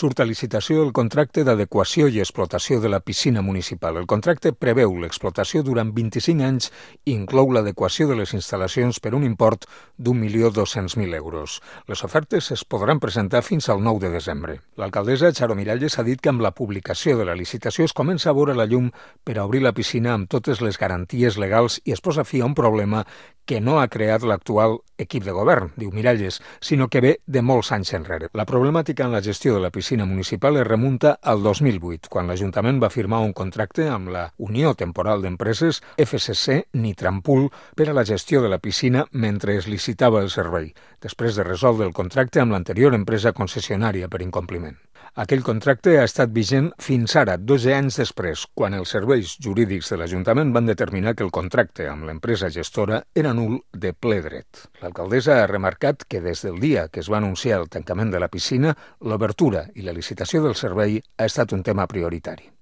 Surt a licitació el contracte d'adequació i explotació de la piscina municipal. El contracte preveu l'explotació durant 25 anys i inclou l'adequació de les instal·lacions per un import d'1.200.000 euros. Les ofertes es podran presentar fins al 9 de desembre. L'alcaldessa Charo Miralles ha dit que amb la publicació de la licitació es comença a veure la llum per a obrir la piscina amb totes les garanties legals i es posa fi a un problema que no ha creat l'actual equip de govern, diu Miralles, sinó que ve de molts anys enrere. La problemàtica en la gestió de la piscina municipal es remunta al 2008, quan l'Ajuntament va firmar un contracte amb la Unió Temporal d'Empreses FCC Nitrampul per a la gestió de la piscina mentre es licitava el servei, després de resoldre el contracte amb l'anterior empresa concessionària per incompliment. Aquell contracte ha estat vigent fins ara, 12 anys després, quan els serveis jurídics de l'Ajuntament van determinar que el contracte amb l'empresa gestora era nul de ple dret. L'alcaldessa ha remarcat que des del dia que es va anunciar el tancament de la piscina, l'obertura i la licitació del servei ha estat un tema prioritari.